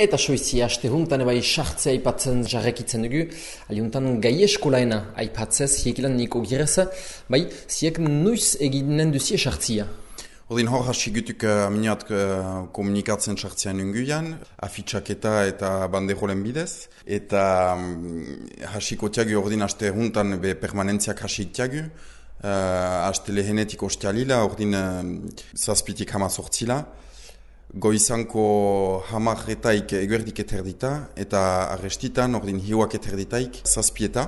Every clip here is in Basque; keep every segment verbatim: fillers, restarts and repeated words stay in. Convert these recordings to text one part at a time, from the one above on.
Eta soizi, aste huntan ebai sartzea aipatzen jarrekitzen dugu, aliuntan gai eskolaena aipatzez, hiekilan niko girez, bai, ziek nuiz eginen duzie sartzia. Ordin hor hasi gutuk uh, miniat uh, komunikatzen sartzean unguian, afitxaketa eta banderolen bidez, eta um, hasiko tiagu ordin aste huntan be permanentziak hasi tiagu, uh, aste lehenetik ostialila, ordin uh, zazpitik hama sortzila, goizanko hamarretaik eguerdik eterdita, eta arrestitan ordin hiuak eterditaik zazpieta,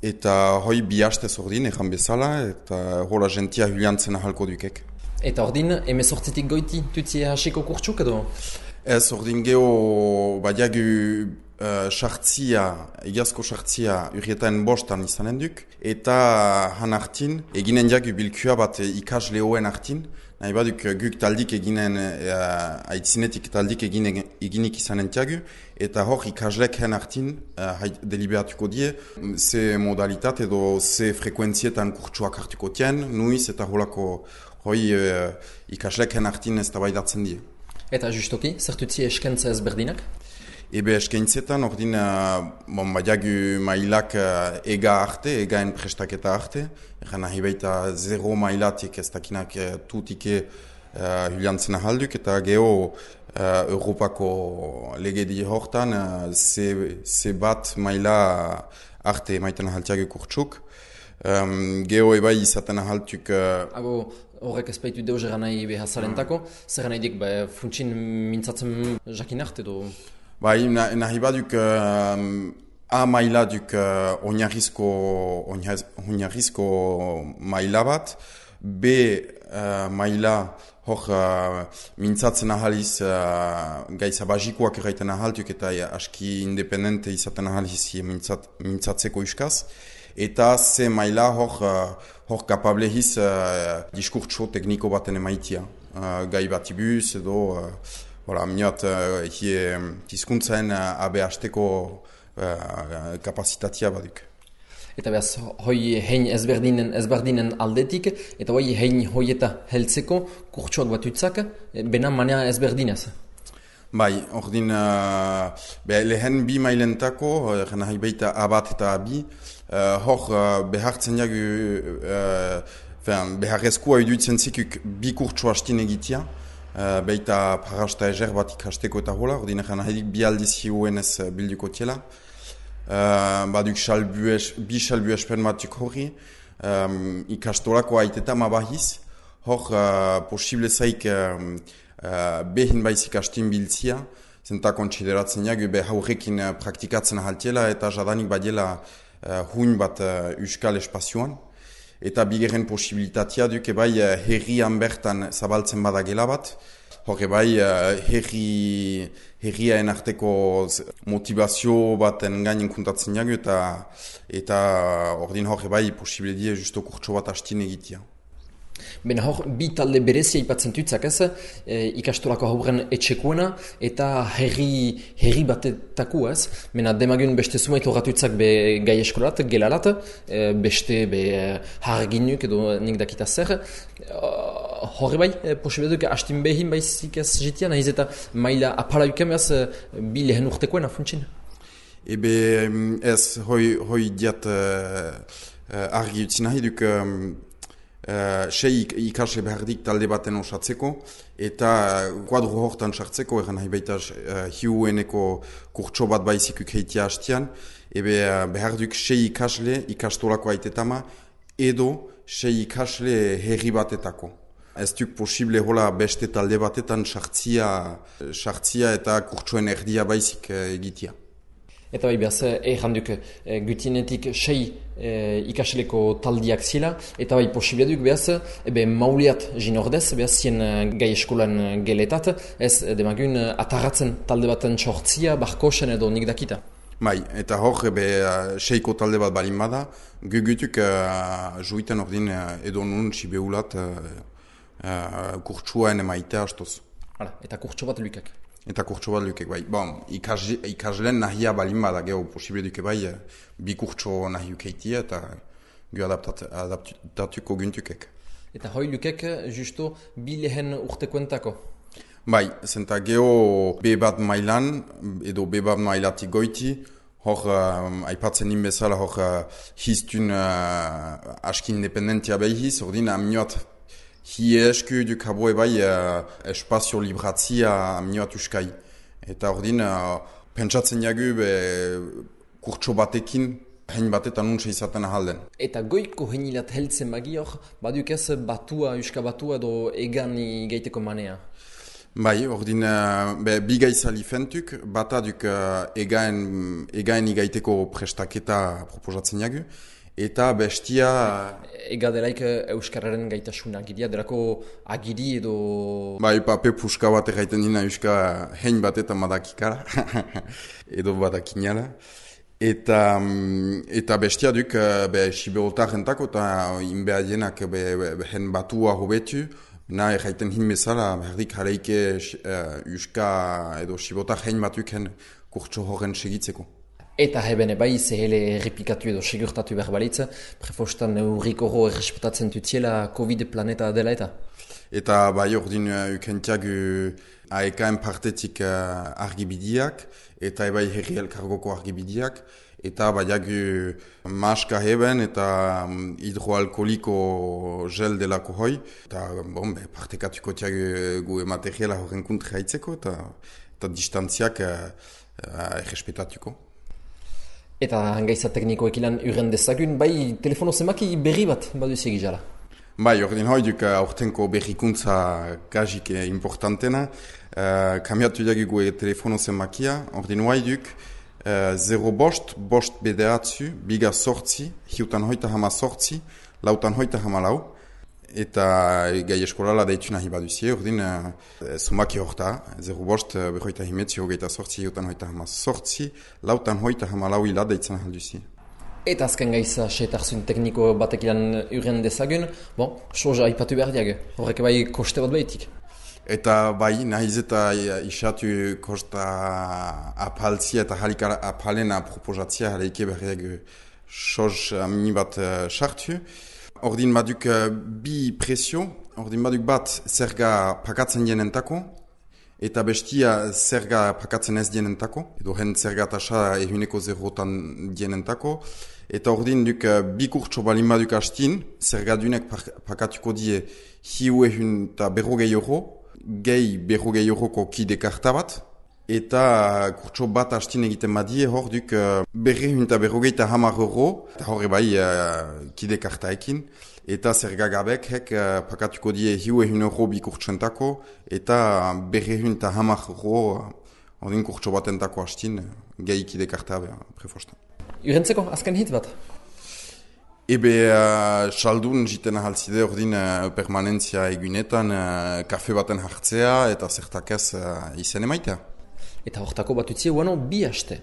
eta hoi bi hastez ordin egan bezala, eta hola gentia huliantzen ahalko dukek. Eta ordin, emezortzitik goiti, tutzie hasiko kurtsuk edo? Ez, ordin geho, badiagu sartzia, uh, egiazko sartzia urrietaen bostan izanen duk, eta han hartin, eginen diagu bilkua bat ikasle hoen hartin, nahi baduk guk taldik eginen, uh, aitzinetik taldik egine, eginik izanen diagu, eta hor ikaslek hen hartin uh, deliberatuko die, ze modalitate edo ze frekuentzietan kurtsuak hartuko tien, nuiz eta holako hoi uh, ikasleken hartin ez tabaidatzen die. Eta justoki, zertutzi eskentza ezberdinak? Ebe eskaintzetan, ordin, uh, bon, badiagu mailak uh, ega arte, egaen prestaketa arte. Egan nahi baita zero mailatik ez dakinak uh, tutike uh, huliantzen ahalduk, eta geho uh, Europako legedi hortan uh, ze, ze bat maila arte maiten ahaltiagu kurtsuk. Um, geho ebai izaten ahaltuk... Uh, Abo, horrek ezpaitu deus eran nahi behazalentako, zer nahi dik, ba, funtsin mintzatzen jakin arte edo? Bai, nahi baduk uh, A maila duk uh, oinarrizko, oinarrizko maila bat, B uh, maila hor uh, mintzatzen ahaliz uh, gaiza bazikoak erraiten ahaltuk eta uh, aski independente izaten ahaliz mintzat, mintzatzeko iskaz. Eta ze maila hor, uh, hor kapablehiz uh, diskurtso tekniko baten emaitia. Uh, gai batibuz edo, uh, voilà, minat, uh, hie tizkuntzaen uh, abe hasteko uh, kapazitatea baduk. Eta behaz, hoi hein ezberdinen, ezberdinen aldetik, eta hoi hein hoieta heltzeko kurtsuak batutzak, bena manea ezberdinez. Bai, ordin, uh, be, lehen bi mailentako, uh, nahi baita A bat eta A bi, uh, hor uh, behartzen jagu, uh, beharrezkoa iduitzen zikuk bi kurtsu hastin egitea, uh, baita parasta eger bat ikasteko eta hola, ordin, nahi bi aldiz hiuenez bilduko tiela. Uh, baduk salbues, bi salbuespen batuk horri, um, ikastolako aiteta mabahiz, hor uh, posible zaik um, uh, behin baizik astin biltzia, zenta kontsideratzen jagu be haurrekin uh, praktikatzen ahaltiela eta jadanik badiela uh, huin bat uh, euskal espazioan. Eta bigarren posibilitatea duk ebai uh, herrian bertan zabaltzen badagela bat, hor ebai uh, herri, herriaen arteko motivazio baten gainen kuntatzen jagu eta eta ordin hor ebai posible die justo kurtso bat hastin egitea. Bena hor, bi talde berezia ipatzen tutzak ez, e, ikastolako hauren etxekuena eta herri, herri batetako ez. Bena demagun beste sumait horratutzak be gai eskolat, gelalat, e, beste be harginuk edo nik dakita zer. Horre bai, e, posibeduk hastin behin baizik ez jitia, nahiz eta maila apala yuken behaz bi lehen urtekoena funtsin. Ebe ez, hoi, hoi diat uh, uh, argi utzi nahi duk... Um, Uh, sei ikasle behardik talde baten osatzeko eta uh, kuadro hortan sartzeko egan nahi baita uh, hiueneko kurtso bat baizikuk heitia hastian ebe uh, beharduk sei ikasle ikastolako aitetama edo sei ikasle herri batetako. Ez duk posible hola beste talde batetan sartzia, sartzia eta kurtsoen erdia baizik uh, egitia. Eta bai behaz, erranduk e, gutinetik sei e, ikasleko taldiak zila, eta bai posibleduk behaz, ebe mauliat jin ordez, behaz zien gai eskolan geletat, ez demagun atarratzen talde baten sortzia, barkosen edo nik dakita. Bai, eta hor ebe seiko talde bat balin bada, gugutuk uh, juiten ordin uh, edo nun sibeulat uh, uh, kurtsuaen emaitea astoz. Hala, eta kurtsu bat lukak. Eta kurtso bat lukek bai. Bon, ikas, ikaslen nahia balin bada geho posible duke bai, bi kurtso nahi ukeitia eta gu adaptatuko guntukek. Eta hoi lukek justo bi lehen urtekoentako? Bai, zenta geho B bat mailan, edo B bat mailatik goiti, hor, uh, aipatzen nin bezala, hor, uh, hiztun uh, aski independentia behiz, ordin amnioat hi esku du kaboe bai uh, espazio libratzia amnioat uskai. Eta ordin, uh, pentsatzen jagu be kurtso batekin, hein batetan untsa izaten ahalden. Eta goiko heinilat heltzen bagi hor, baduk ez batua, uska batua edo egan gaiteko manea? Bai, ordin, uh, be, bi gaizali fentuk, bata duk uh, egaen, egaen igaiteko prestaketa proposatzen jagu, eta bestia... Ega delaik euskararen gaitasuna agiria, delako agiri edo... Bai, pape puska bat erraiten dina euska hein bat eta madakikara, edo badakinala. Eta, eta bestia duk, be, siberotar entako, eta inbeadienak be, be, hen batua hobetu, na erraiten hin bezala, berdik jaleike uh, uska edo sibotar hein batuk hen kurtso horren segitzeko. Eta hebene bai zehele errepikatu edo segurtatu behar balitza, prefostan eurrik horro errespetatzen tutziela COVID planeta dela eta? Eta bai ordin uh, ukentiagu A E K-en partetik uh, argibidiak, eta ebai herri elkargoko argibidiak, eta baiagu maska heben eta um, hidroalkoliko gel delako hoi, eta bon, be, partekatuko tiagu gu materiala horren kontra haitzeko, eta, eta distantziak uh, uh, errespetatuko. Eta hangaiza teknikoek ilan uren dezagun, bai telefono zemaki berri bat baduzi egizala? Bai, ordin hoi duk aurtenko berrikuntza gajik importantena. Uh, kamiatu jagigu e telefono zemakia, ordin hoi duk uh, zero bost, bost bederatzu, biga sortzi, hiutan hoita hama sortzi, lautan hoita hama lau, eta gai eskolala deitu nahi baduzie, ordin uh, zumaki horta, zero bost, behoita himetzi, hogeita sortzi, hiutan hoita hama sortzi, lautan hoita hama lau ila deitzen ahalduzie. Eta azken gaiza setarzun tekniko batek ilan uren dezagun, bon, soja aipatu behar diag, horrek bai koste bat behitik. Eta bai, nahiz eta isatu kosta apaltzia eta halikara apalena proposatzia haleike berriak soz mini bat sartu. Ordin baduk bi presio, ordin baduk bat zerga pakatzen jenentako, eta bestia zerga pakatzen ez dienentako, edo hen zerga tasa ehuneko zerotan dienentako, eta ordin duk bi kurtso balin baduk hastin, zerga dunek pakatuko die hiu ehun eta berrogei euro, gehi berrogei euroko kide karta bat, eta kurtso bat hastin egiten badie hor duk berre ehun eta berrogei eta hamar euro, eta horre bai uh, kide kartaekin, eta zergagabek hek uh, pakatuko die hiu ehun euro bi kurtsentako, eta berre ehun eta hamar euro ordin kurtso batentako hastin gehi kide karta beha prefostan. Urentzeko, azken hit bat? Ebe, uh, saldun jiten ahaltzide ordin uh, permanentzia egunetan uh, kafe baten hartzea eta zertakez uh, izen emaitea. Eta hortako batutzie, uano bi haste.